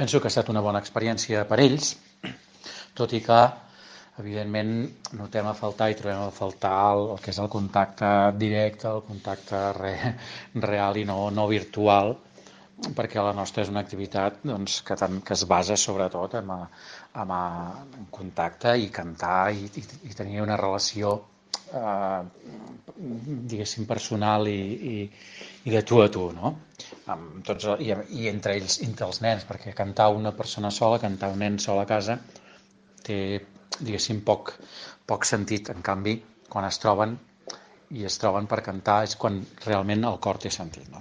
Penso que ha estat una bona experiència per ells, tot i que, evidentment, notem a faltar i trobem a faltar el que és el contacte directe, el contacte real i no virtual, perquè la nostra és una activitat doncs, que es basa sobretot en contacte i cantar i tenir una relació diguéssim personal i de tu a tu, no? Amb tots, i entre ells, entre els nens, perquè cantar una persona sola, cantar un nen sol a casa té, diguéssim, poc sentit. En canvi, quan es troben per cantar és quan realment el cor té sentit, no?